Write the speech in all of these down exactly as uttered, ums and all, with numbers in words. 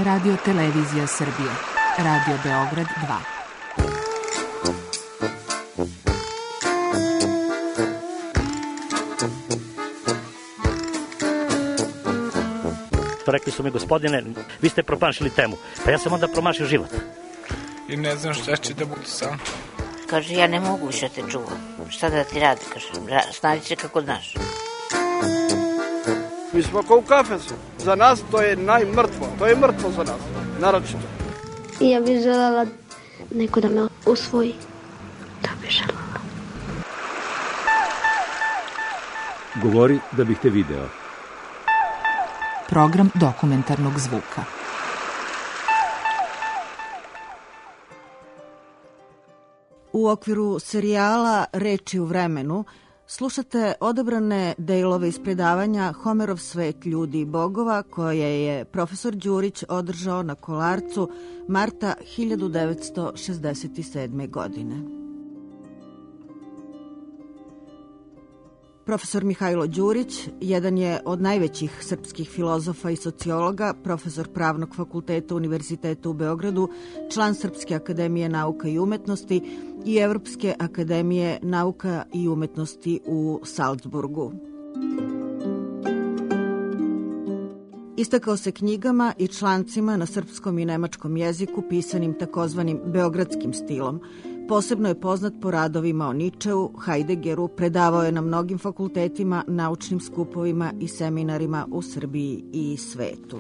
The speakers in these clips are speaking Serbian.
Radio Televizija Srbije, Radio Beograd dva. Rekli su mi, gospodine, vi ste promašili temu. Pa ja sam onda promašio život. I ne znam šta će da bude sam. Kaže, ja ne mogu više te čuvam. Šta da ti radi, kaže, snađi se kako znaš. Mi smo kao u kafesu. Za nas to je najmrtvo. To je mrtvo za nas, naročito. I ja bih želela neko da me usvoji. To bih želela. Govori da bih te video. Program dokumentarnog zvuka. U okviru serijala Reči u vremenu slušate odabrane delove iz predavanja Homerov svet ljudi i bogova koje je profesor Đurić održao na Kolarcu marta hiljadu devetsto šezdeset sedme. godine. Profesor Mihajlo Đurić jedan je od najvećih srpskih filozofa i sociologa, profesor Pravnog fakulteta Univerziteta u Beogradu, član Srpske akademije nauka i umetnosti i Evropske akademije nauka i umetnosti u Salzburgu. Istakao se knjigama i člancima na srpskom i nemačkom jeziku pisanim takozvanim beogradskim stilom. Posebno je poznat po radovima o Ničeu, Hajdegeru, predavao je na mnogim fakultetima, naučnim skupovima i seminarima u Srbiji i svetu.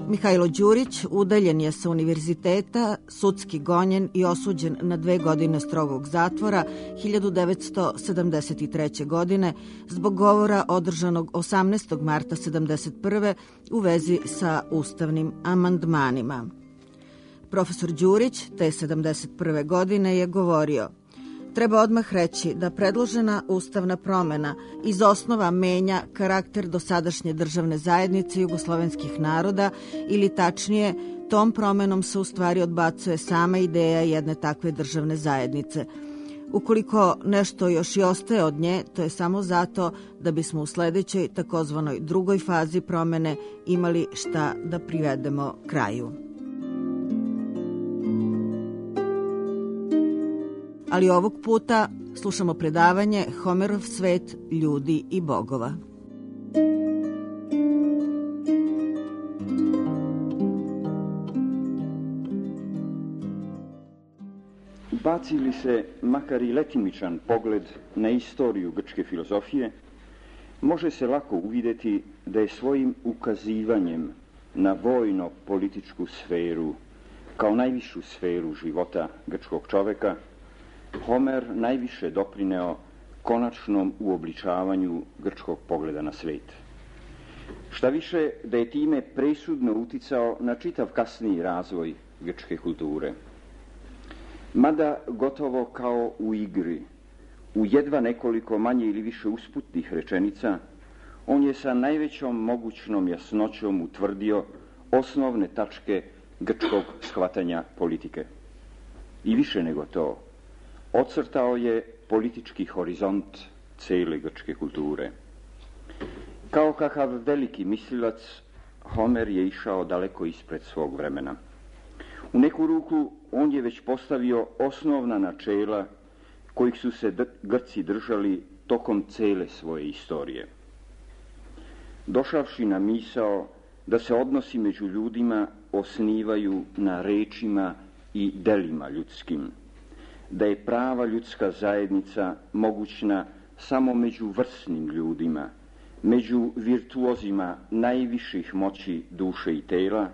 Mihajlo Đurić udaljen je sa univerziteta, sudski gonjen i osuđen na dve godine strogog zatvora hiljadu devetsto sedamdeset treće. godine zbog govora održanog osamnaestog marta sedamdeset prve. u vezi sa ustavnim amandmanima. Profesor Đurić te sedamdeset prve. godine je govorio: treba odmah reći da predložena ustavna promena iz osnova menja karakter dosadašnje državne zajednice jugoslovenskih naroda ili tačnije, tom promenom se u stvari odbacuje sama ideja jedne takve državne zajednice. Ukoliko nešto još i ostaje od nje, to je samo zato da bismo u sledećoj takozvanoj drugoj fazi promene imali šta da privedemo kraju. Ali ovog puta slušamo predavanje Homerov svet ljudi i bogova. Baci li se makar i letimičan pogled na istoriju grčke filozofije, može se lako uvidjeti da je svojim ukazivanjem na vojno-političku sferu kao najvišu sferu života grčkog čoveka Homer najviše doprineo konačnom uobličavanju grčkog pogleda na svet. Šta više, da je time presudno uticao na čitav kasniji razvoj grčke kulture. Mada gotovo kao u igri, u jedva nekoliko manje ili više usputnih rečenica, on je sa najvećom mogućnom jasnoćom utvrdio osnovne tačke grčkog shvatanja politike. I više nego to, ocrtao je politički horizont cele grčke kulture. Kao kakav veliki mislilac, Homer je išao daleko ispred svog vremena. U neku ruku on je već postavio osnovna načela kojih su se Grci držali tokom cele svoje istorije. Došavši na misao da se odnosi među ljudima osnivaju na rečima i delima ljudskim, da je prava ljudska zajednica mogućna samo među vrsnim ljudima, među virtuozima najviših moći duše i tela,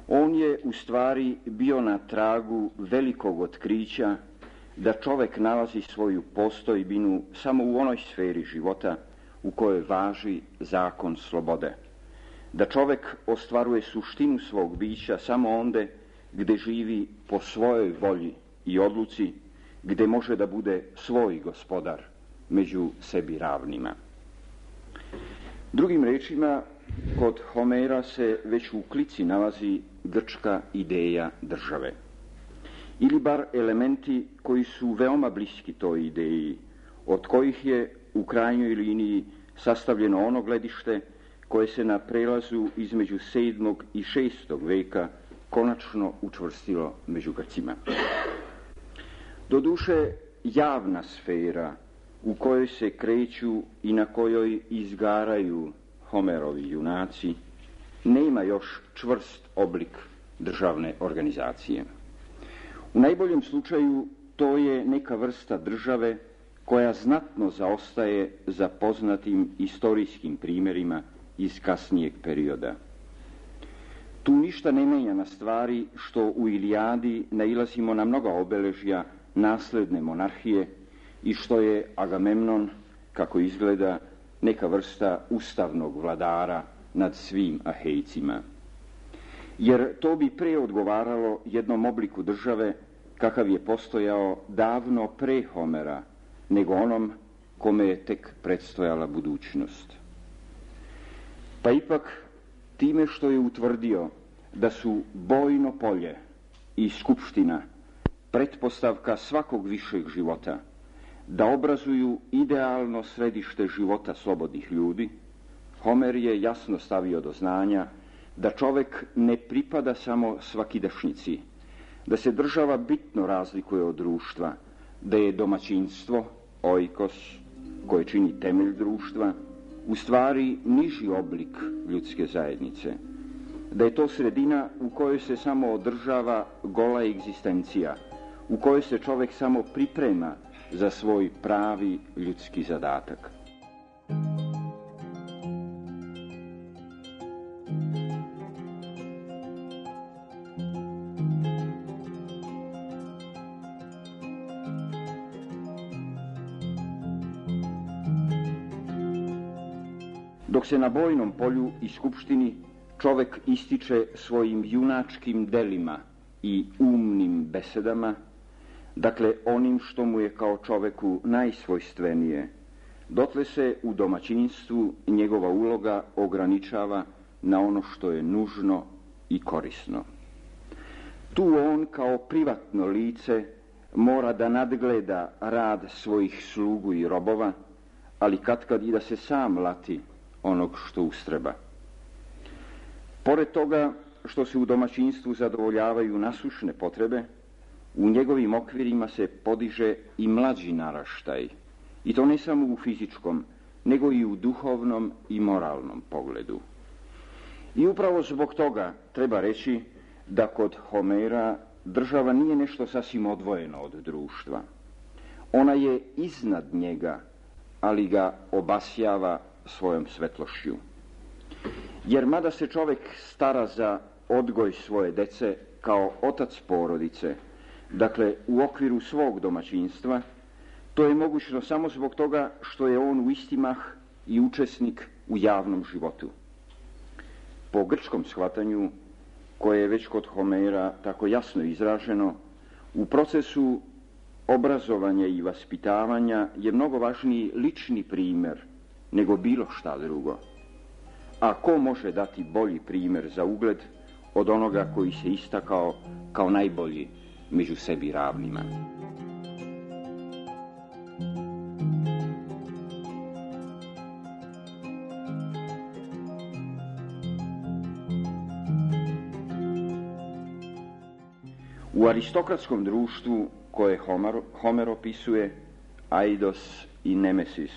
on je u stvari bio na tragu velikog otkrića da čovek nalazi svoju postojbinu samo u onoj sferi života u kojoj važi zakon slobode, da čovek ostvaruje suštinu svog bića samo onde gde živi po svojoj volji i odluci, gde može da bude svoj gospodar među sebi ravnima. Drugim rečima, kod Homera se već u klici nalazi grčka ideja države. Ili bar elementi koji su veoma bliski toj ideji, od kojih je u krajnjoj liniji sastavljeno ono gledište koje se na prelazu između sedmog i šestog veka konačno učvrstilo među Grcima. Doduše, javna sfera u kojoj se kreću i na kojoj izgaraju Homerovi junaci nema još čvrst oblik državne organizacije. U najboljem slučaju to je neka vrsta države koja znatno zaostaje za poznatim istorijskim primjerima iz kasnijeg perioda. Tu ništa ne menja na stvari što u Ilijadi nailazimo na mnoga obeležja nasledne monarhije i što je Agamemnon, kako izgleda, neka vrsta ustavnog vladara nad svim Ahejcima. Jer to bi pre odgovaralo jednom obliku države kakav je postojao davno pre Homera, nego onom kome je tek predstojala budućnost. Pa ipak, time što je utvrdio da su bojno polje i skupština pretpostavka svakog višeg života, da obrazuju idealno središte života slobodnih ljudi, Homer je jasno stavio do znanja da čovek ne pripada samo svakidašnjici, da se država bitno razlikuje od društva, da je domaćinstvo, oikos, koje čini temelj društva, u stvari niži oblik ljudske zajednice, da je to sredina u kojoj se samo održava gola egzistencija, u kojoj se čovek samo priprema za svoj pravi ljudski zadatak. Dok se na bojnom polju i skupštini čovek ističe svojim junačkim delima i umnim besedama, dakle onim što mu je kao čoveku najsvojstvenije, dotle se u domaćinstvu njegova uloga ograničava na ono što je nužno i korisno. Tu on kao privatno lice mora da nadgleda rad svojih slugu i robova, ali katkad i da se sam lati onog što ustreba. Pored toga što se u domaćinstvu zadovoljavaju nasušne potrebe, u njegovim okvirima se podiže i mlađi naraštaj, i to ne samo u fizičkom, nego i u duhovnom i moralnom pogledu. I upravo zbog toga treba reći da kod Homera država nije nešto sasvim odvojeno od društva. Ona je iznad njega, ali ga obasjava svojom svetlošću. Jer mada se čovek stara za odgoj svoje dece kao otac porodice, dakle u okviru svog domaćinstva, to je mogućno samo zbog toga što je on u isti mah i učesnik u javnom životu. Po grčkom shvatanju, koje je već kod Homera tako jasno izraženo, u procesu obrazovanja i vaspitavanja je mnogo važniji lični primer nego bilo šta drugo. A ko može dati bolji primjer za ugled od onoga koji se istakao kao najbolji među sebi ravnima? U aristokratskom društvu koje Homer, Homer opisuje, Aidos i Nemesis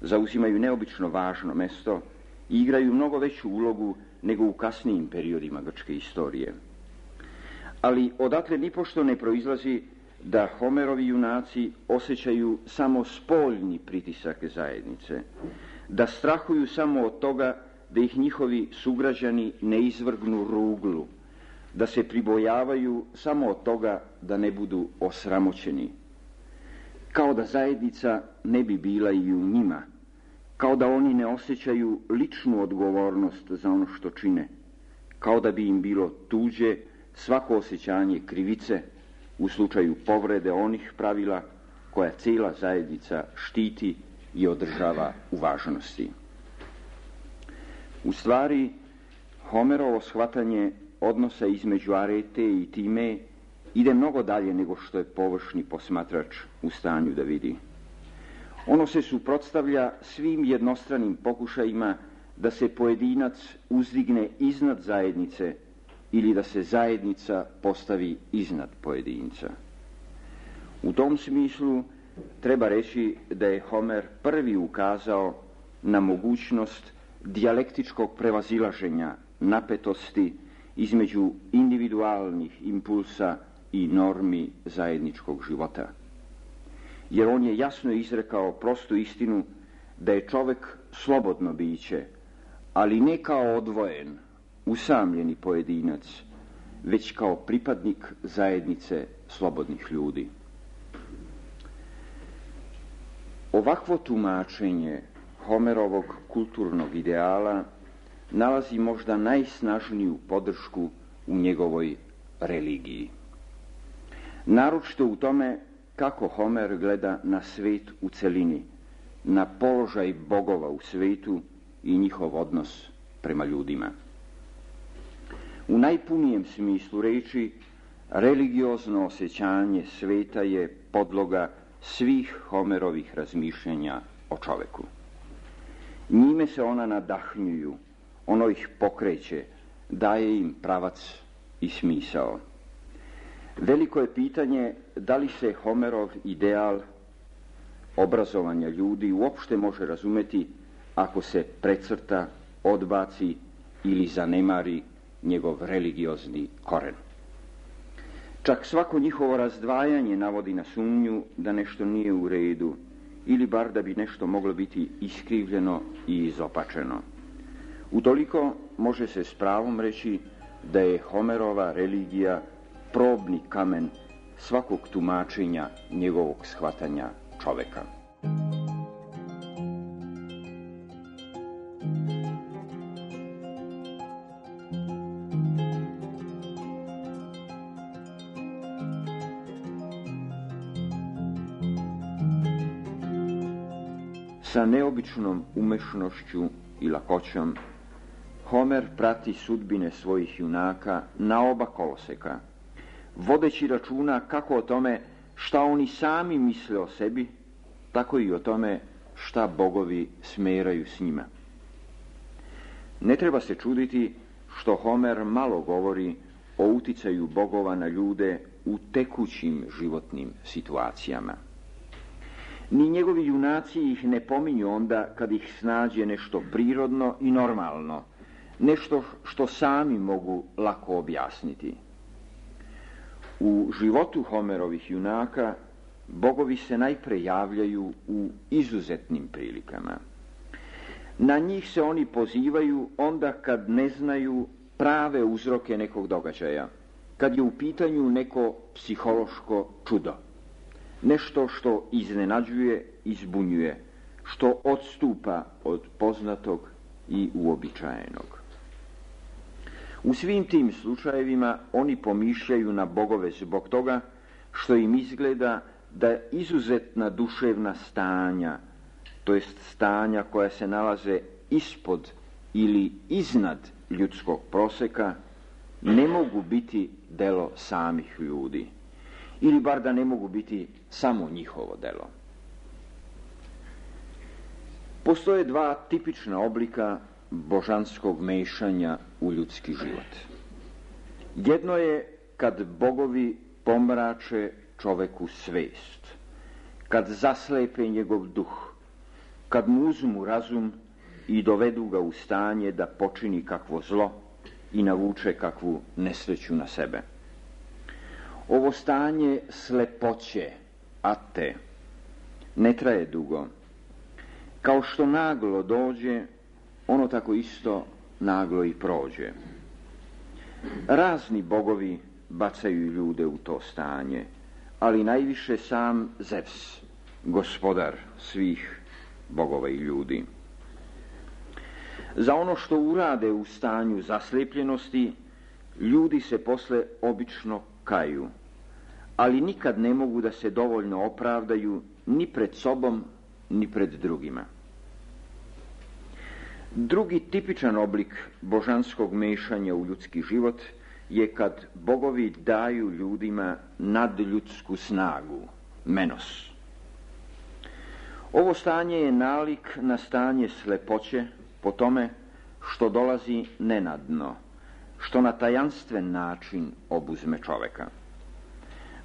zauzimaju neobično važno mesto i igraju mnogo veću ulogu nego u kasnijim periodima grčke istorije. Ali odatle nipošto ne proizlazi da Homerovi junaci osjećaju samo spoljni pritisak zajednice, da strahuju samo od toga da ih njihovi sugrađani ne izvrgnu ruglu, da se pribojavaju samo od toga da ne budu osramoćeni, kao da zajednica ne bi bila i u njima, kao da oni ne osjećaju ličnu odgovornost za ono što čine, kao da bi im bilo tuđe svako osjećanje krivice u slučaju povrede onih pravila koja cijela zajednica štiti i održava u važnosti. U stvari, Homerovo shvatanje odnosa između Arete i Time ide mnogo dalje nego što je površni posmatrač u stanju da vidi. Ono se suprotstavlja svim jednostranim pokušajima da se pojedinac uzdigne iznad zajednice ili da se zajednica postavi iznad pojedinca. U tom smislu treba reći da je Homer prvi ukazao na mogućnost dijalektičkog prevazilaženja napetosti između individualnih impulsa i normi zajedničkog života. Jer on je jasno izrekao prostu istinu da je čovjek slobodno biće, ali ne kao odvojen, usamljeni pojedinac, već kao pripadnik zajednice slobodnih ljudi. Ovakvo tumačenje Homerovog kulturnog ideala nalazi možda najsnažniju podršku u njegovoj religiji. Naročito u tome kako Homer gleda na svijet u celini, na položaj bogova u svijetu i njihov odnos prema ljudima. U najpunijem smislu reči, religiozno osjećanje svijeta je podloga svih Homerovih razmišljanja o čoveku. Njime se ona nadahnjuju, ono ih pokreće, daje im pravac i smisao. Veliko je pitanje da li se Homerov ideal obrazovanja ljudi uopšte može razumeti ako se precrta, odbaci ili zanemari njegov religiozni koren. Čak svako njihovo razdvajanje navodi na sumnju da nešto nije u redu ili bar da bi nešto moglo biti iskrivljeno i izopačeno. Utoliko može se s pravom reći da je Homerova religija probni kamen svakog tumačenja njegovog shvatanja čoveka. Sa neobičnom umešnošću i lakoćom Homer prati sudbine svojih junaka na oba koloseka, vodeći računa kako o tome šta oni sami misle o sebi, tako i o tome šta bogovi smeraju s njima. Ne treba se čuditi što Homer malo govori o uticaju bogova na ljude u tekućim životnim situacijama. Ni njegovi junaci ih ne pominju onda kad ih snađe nešto prirodno i normalno, nešto što sami mogu lako objasniti. U životu Homerovih junaka bogovi se najpre javljaju u izuzetnim prilikama. Na njih se oni pozivaju onda kad ne znaju prave uzroke nekog događaja, kad je u pitanju neko psihološko čudo, nešto što iznenađuje i zbunjuje, što odstupa od poznatog i uobičajenog. U svim tim slučajevima oni pomišljaju na bogove zbog toga što im izgleda da izuzetna duševna stanja, to jest stanja koja se nalaze ispod ili iznad ljudskog proseka, ne mogu biti delo samih ljudi, ili bar da ne mogu biti samo njihovo delo. Postoje dva tipična oblika božanskog mešanja u ljudski život. Jedno je kad bogovi pomrače čoveku svest, kad zaslepe njegov duh, kad mu uzmu razum i dovedu ga u stanje da počini kakvo zlo i navuče kakvu nesreću na sebe. Ovo stanje slepoće, ate, ne traje dugo. Kao što naglo dođe, ono tako isto naglo i prođe. Razni bogovi bacaju ljude u to stanje, ali najviše sam Zevs, gospodar svih bogova i ljudi. Za ono što urade u stanju zaslepljenosti, ljudi se posle obično kaju, ali nikad ne mogu da se dovoljno opravdaju ni pred sobom, ni pred drugima. Drugi tipičan oblik božanskog mešanja u ljudski život je kad bogovi daju ljudima nadljudsku snagu, menos. Ovo stanje je nalik na stanje slepoće po tome što dolazi nenadno, što na tajanstven način obuzme čoveka.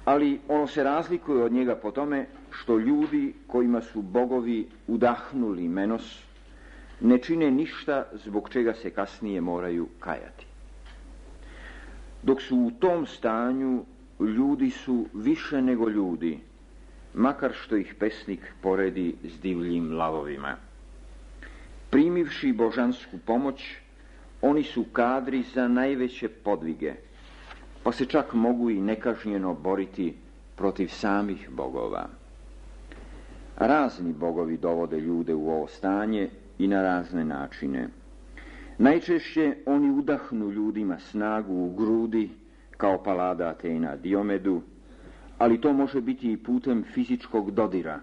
Ali ono se razlikuje od njega po tome što ljudi kojima su bogovi udahnuli menos ne čine ništa zbog čega se kasnije moraju kajati. Dok su u tom stanju, ljudi su više nego ljudi, makar što ih pesnik poredi s divljim lavovima. Primivši božansku pomoć, oni su kadri za najveće podvige, pa se čak mogu i nekažnjeno boriti protiv samih bogova. Razni bogovi dovode ljude u ovo stanje i na razne načine. Najčešće oni udahnu ljudima snagu u grudi, kao Palada Atena Diomedu, ali to može biti i putem fizičkog dodira,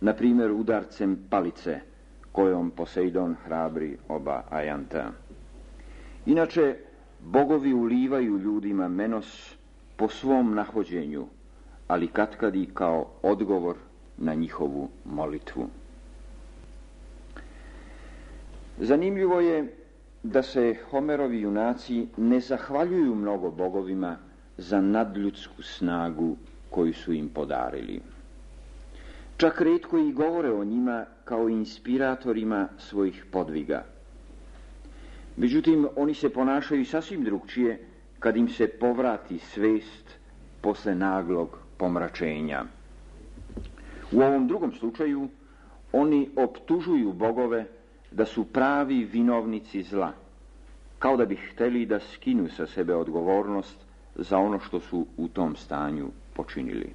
na primjer udarcem palice, kojom Poseidon hrabri oba Ajanta. Inače, bogovi ulivaju ljudima menos po svom nahođenju, ali katkad i kao odgovor na njihovu molitvu. Zanimljivo je da se Homerovi junaci ne zahvaljuju mnogo bogovima za nadljudsku snagu koju su im podarili. Čak retko i govore o njima kao inspiratorima svojih podviga. Međutim, oni se ponašaju sasvim drugčije kad im se povrati svest posle naglog pomračenja. U ovom drugom slučaju oni optužuju bogove da su pravi vinovnici zla, kao da bi hteli da skinu sa sebe odgovornost za ono što su u tom stanju počinili.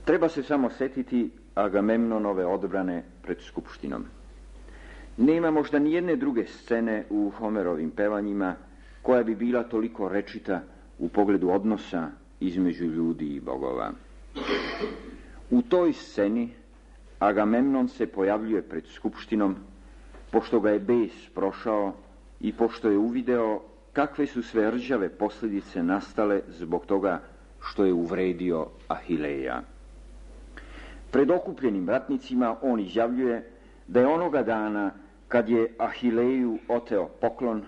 Treba se samo setiti Agamemnonove odbrane pred skupštinom. Nema možda ni jedne druge scene u Homerovim pevanjima koja bi bila toliko rečita u pogledu odnosa između ljudi i bogova. U toj sceni Agamemnon se pojavljuje pred skupštinom, pošto ga je bes prošao i pošto je uvideo kakve su sve rđave posljedice nastale zbog toga što je uvredio Ahileja. Pred okupljenim ratnicima on izjavljuje da je onoga dana kad je Ahileju oteo poklon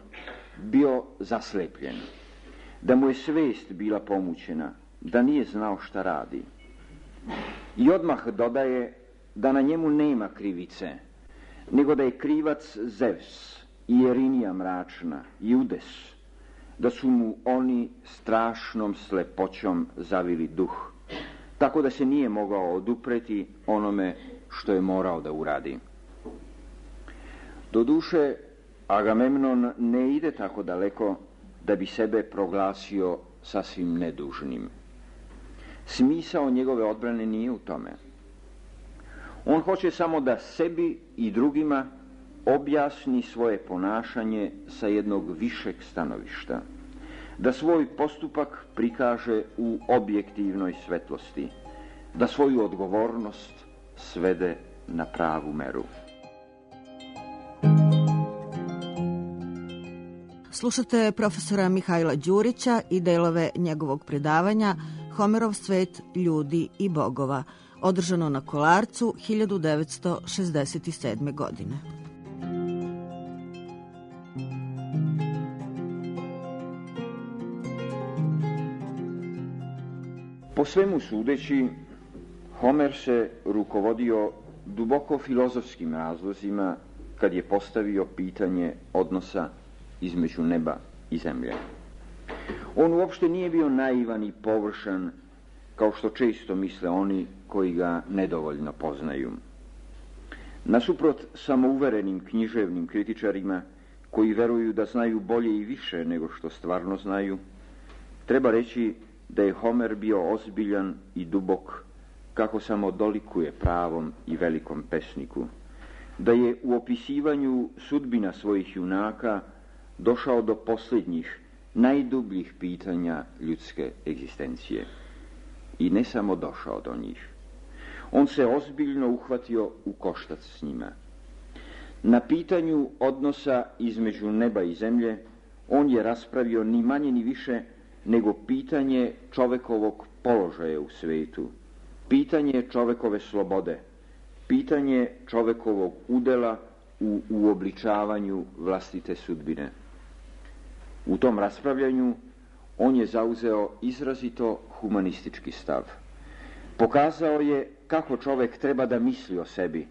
bio zaslepljen, da mu je svest bila pomućena, da nije znao šta radi. I odmah dodaje da na njemu nema krivice, nego da je krivac Zevs i Erinija mračna i Udes, da su mu oni strašnom slepoćom zavili duh, tako da se nije mogao odupreti onome što je morao da uradi. Doduše, Agamemnon ne ide tako daleko da bi sebe proglasio sasvim nedužnim. Smisao njegove odbrane nije u tome. On hoće samo da sebi i drugima objasni svoje ponašanje sa jednog višeg stanovišta, da svoj postupak prikaže u objektivnoj svetlosti, da svoju odgovornost svede na pravu meru. Slušate profesora Mihajla Đurića i delove njegovog predavanja Homerov svet ljudi i bogova, održano na Kolarcu hiljadu devetsto šezdeset sedme. godine. Po svemu sudeći, Homer se rukovodio duboko filozofskim razlozima kad je postavio pitanje odnosa između neba i zemlje. On uopšte nije bio naivan i površan, kao što često misle oni koji ga nedovoljno poznaju. Nasuprot samouverenim književnim kritičarima, koji veruju da znaju bolje i više nego što stvarno znaju, treba reći da je Homer bio ozbiljan i dubok, kako samo dolikuje pravom i velikom pesniku, da je u opisivanju sudbina svojih junaka došao do posljednjih, najdubljih pitanja ljudske egzistencije. I ne samo došao do njih. On se ozbiljno uhvatio u koštac s njima. Na pitanju odnosa između neba i zemlje on je raspravio ni manje ni više nego pitanje čovekovog položaja u svetu, pitanje čovekove slobode, pitanje čovekovog udela u uobličavanju vlastite sudbine. U tom raspravljanju on je zauzeo izrazito humanistički stav. Pokazao je kako čovek treba da misli o sebi,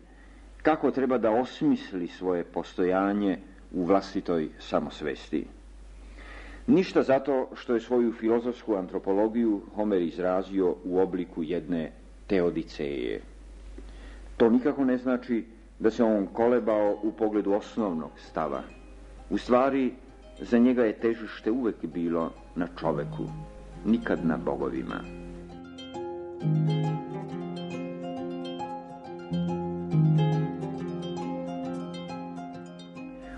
kako treba da osmisli svoje postojanje u vlastitoj samosvesti. Ništa zato što je svoju filozofsku antropologiju Homer izrazio u obliku jedne teodiceje. To nikako ne znači da se on kolebao u pogledu osnovnog stava. U stvari, za njega je težište uvek bilo na čoveku, nikad na bogovima.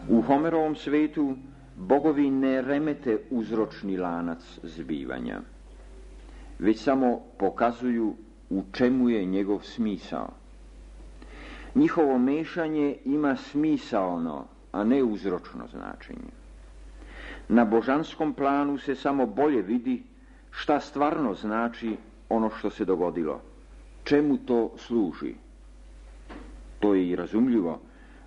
U Homerovom svetu bogovi ne remete uzročni lanac zbivanja, već samo pokazuju u čemu je njegov smisao. Njihovo mešanje ima smisaono, a ne uzročno značenje. Na božanskom planu se samo bolje vidi šta stvarno znači ono što se dogodilo, čemu to služi. To je i razumljivo,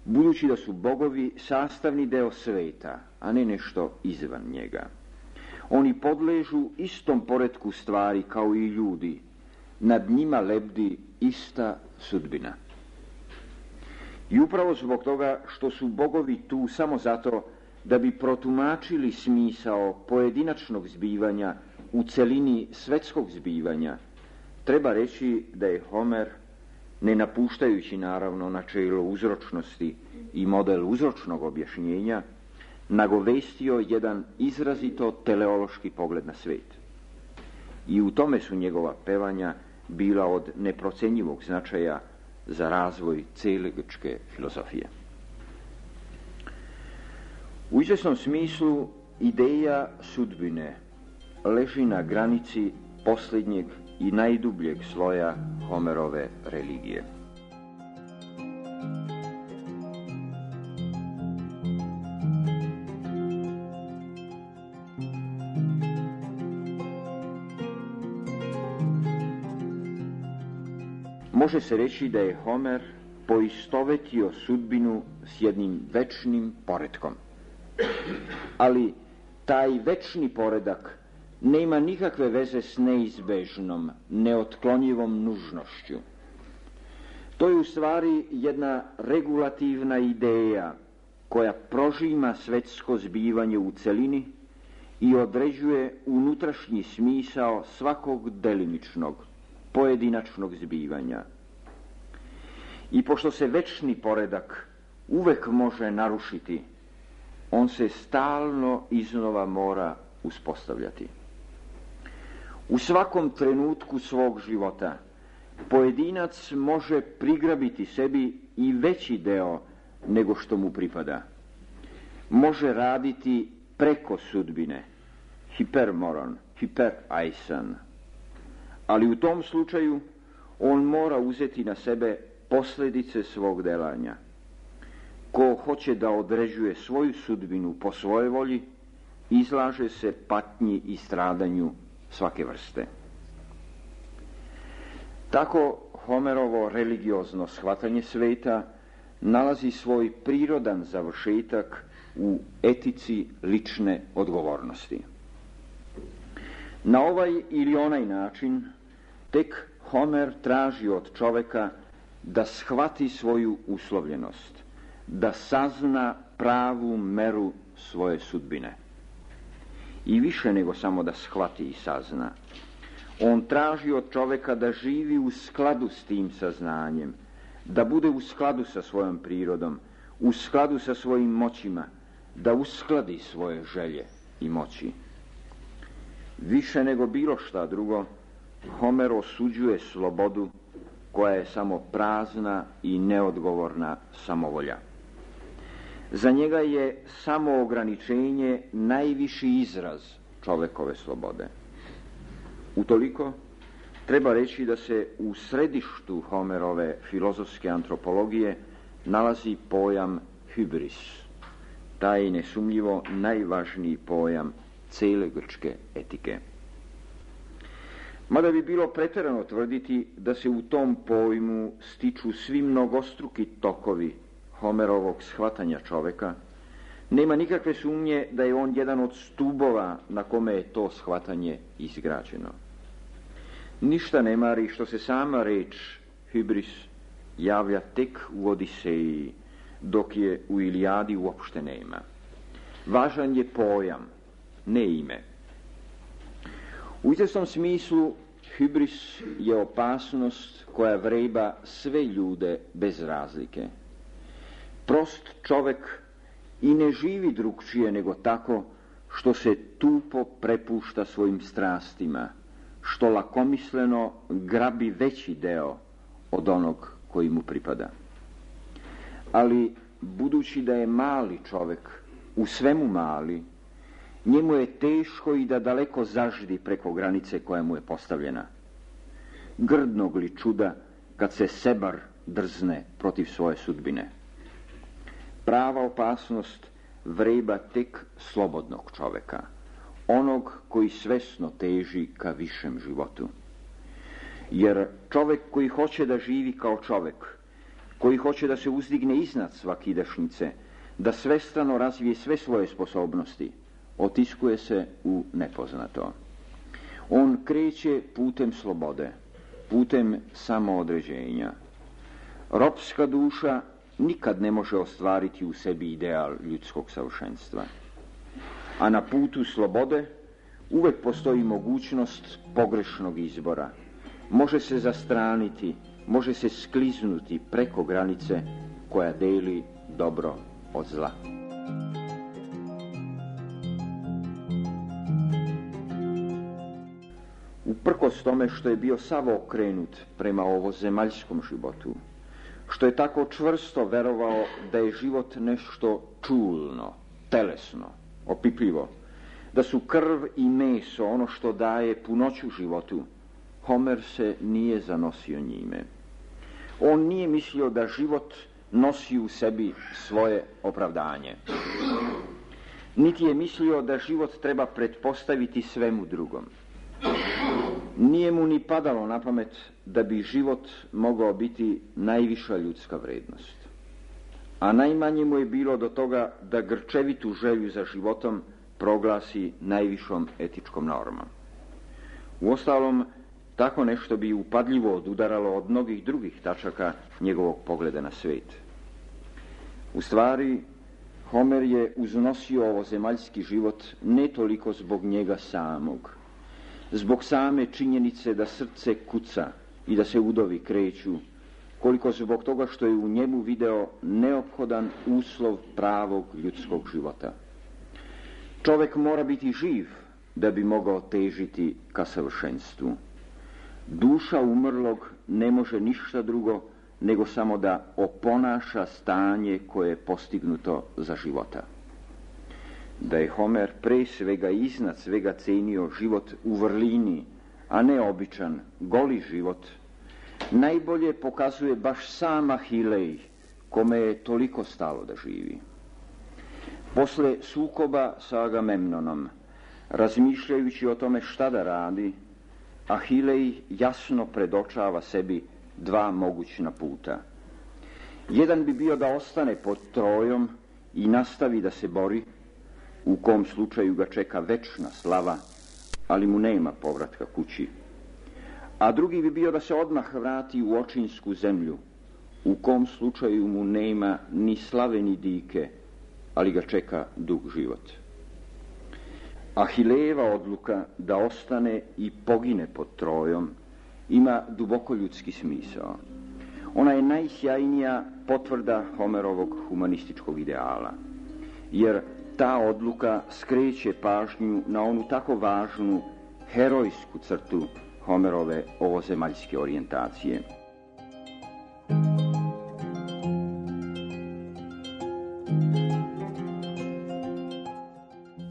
budući da su bogovi sastavni deo sveta, a ne nešto izvan njega. Oni podležu istom poretku stvari kao i ljudi, nad njima lebdi ista sudbina. I upravo zbog toga što su bogovi tu samo zato da bi protumačili smisao pojedinačnog zbivanja u celini svetskog zbivanja, treba reći da je Homer, ne napuštajući naravno načelo uzročnosti i model uzročnog objašnjenja, nagovestio jedan izrazito teleološki pogled na svet. I u tome su njegova pevanja bila od neprocenjivog značaja za razvoj cele grčke filozofije. U izvesnom smislu ideja sudbine leži na granici posljednjeg i najdubljeg sloja Homerove religije. Može se reći da je Homer poistovetio sudbinu s jednim večnim poretkom. Ali taj večni poredak nema nikakve veze s neizbežnom, neotklonjivom nužnošću. To je u stvari jedna regulativna ideja koja prožima svetsko zbivanje u celini i određuje unutrašnji smisao svakog delimičnog, pojedinačnog zbivanja. I pošto se večni poredak uvek može narušiti, on se stalno iznova mora uspostavljati. U svakom trenutku svog života pojedinac može prigrabiti sebi i veći deo nego što mu pripada. Može raditi preko sudbine, hipermoron, hipereisan, ali u tom slučaju on mora uzeti na sebe posljedice svog delanja. Ko hoće da određuje svoju sudbinu po svojoj volji, izlaže se patnji i stradanju svake vrste. Tako Homerovo religiozno shvatanje sveta nalazi svoj prirodan završetak u etici lične odgovornosti. Na ovaj ili onaj način tek Homer traži od čoveka da shvati svoju uslovljenost, da sazna pravu meru svoje sudbine. I više nego samo da shvati i sazna. On traži od čoveka da živi u skladu s tim saznanjem, da bude u skladu sa svojom prirodom, u skladu sa svojim moćima, da uskladi svoje želje i moći. Više nego bilo šta drugo, Homer osuđuje slobodu koja je samo prazna i neodgovorna samovolja. Za njega je samoograničenje najviši izraz čovekove slobode. Utoliko treba reći da se u središtu Homerove filozofske antropologije nalazi pojam hybris, taj nesumnjivo najvažniji pojam cele grčke etike. Mada bi bilo pretjerano tvrditi da se u tom pojmu stiču svi mnogostruki tokovi Homerovog shvatanja čoveka, nema nikakve sumnje da je on jedan od stubova na kome je to shvatanje izgrađeno. Ništa ne mari što se sama reč hybris javlja tek u Odiseji, dok je u Ilijadi uopšte nema. Važan je pojam, ne ime. U izvjesnom smislu hybris je opasnost koja vreba sve ljude bez razlike. Prost čovek i ne živi drugčije nego tako što se tupo prepušta svojim strastima, što lakomisleno grabi veći deo od onog koji mu pripada. Ali budući da je mali čovek, u svemu mali, njemu je teško i da daleko zaždi preko granice koja mu je postavljena. Grdnog li čuda kad se sebar drzne protiv svoje sudbine. Prava opasnost vreba tek slobodnog čoveka, onog koji svesno teži ka višem životu. Jer čovek koji hoće da živi kao čovek, koji hoće da se uzdigne iznad svakidašnjice, da svestrano razvije sve svoje sposobnosti, otiskuje se u nepoznato. On kreće putem slobode, putem samoodređenja. Ropska duša nikad ne može ostvariti u sebi ideal ljudskog savršenstva. A na putu slobode uvek postoji mogućnost pogrešnog izbora. Može se zastraniti, može se skliznuti preko granice koja deli dobro od zla. Uprkos tome što je bio sav okrenut prema ovozemaljskom životu, što je tako čvrsto verovao da je život nešto čulno, telesno, opipljivo, da su krv i meso ono što daje punoću životu, Homer se nije zanosio njime. On nije mislio da život nosi u sebi svoje opravdanje. Niti je mislio da život treba pretpostaviti svemu drugom. Nije mu ni padalo na pamet da bi život mogao biti najviša ljudska vrednost. A najmanje mu je bilo do toga da grčevitu želju za životom proglasi najvišom etičkom normom. Uostalom, tako nešto bi upadljivo odudaralo od mnogih drugih tačaka njegovog pogleda na svijet. U stvari, Homer je uznosio ovozemaljski život ne toliko zbog njega samog, zbog same činjenice da srce kuca i da se udovi kreću, koliko zbog toga što je u njemu video neophodan uslov pravog ljudskog života. Čovek mora biti živ da bi mogao težiti ka savršenstvu. Duša umrlog ne može ništa drugo nego samo da oponaša stanje koje je postignuto za života. Da je Homer pre svega i iznad svega cenio život u vrlini, a ne običan, goli život, najbolje pokazuje baš sam Ahilej, kome je toliko stalo da živi. Posle sukoba sa Agamemnonom, razmišljajući o tome šta da radi, Ahilej jasno predočava sebi dva mogućna puta. Jedan bi bio da ostane pod Trojom i nastavi da se bori, u kom slučaju ga čeka večna slava, ali mu nema povratka kući. A drugi bi bio da se odmah vrati u očinsku zemlju, u kom slučaju mu nema ni slave ni dike, ali ga čeka dug život. Ahilejeva odluka da ostane i pogine pod Trojom ima duboko ljudski smisao. Ona je najsjajnija potvrda Homerovog humanističkog ideala, jer ta odluka skreće pažnju na onu tako važnu herojsku crtu Homerove ovozemaljske orijentacije.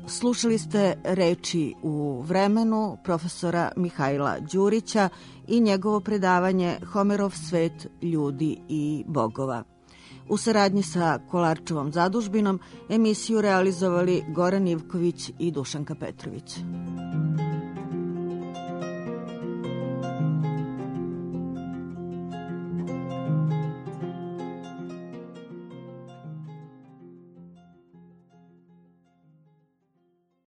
Slušali ste reči u vremenu profesora Mihajla Đurića i njegovo predavanje Homerov svet ljudi i bogova. U saradnji sa Kolarčevom zadužbinom emisiju realizovali Goran Ivković i Dušanka Petrović.